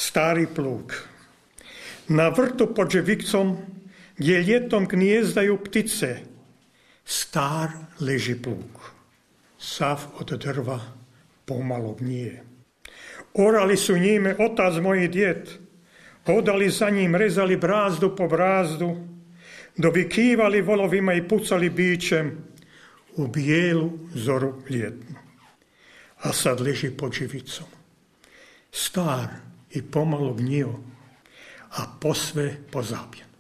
Stari plug. Na vrtu pod živicom, gdje ljetom gnjezdaju ptice, star leži plug. Sav od drva pomalo gnije. Orali su njime otac moj i djed, hodali za njim, rezali brazdu po brazdu, dovikivali volovima i pucali bićem u bijelu zoru ljetnu. A sad leži pod živicom, star i pomalo gnjio, a posve pozabljen.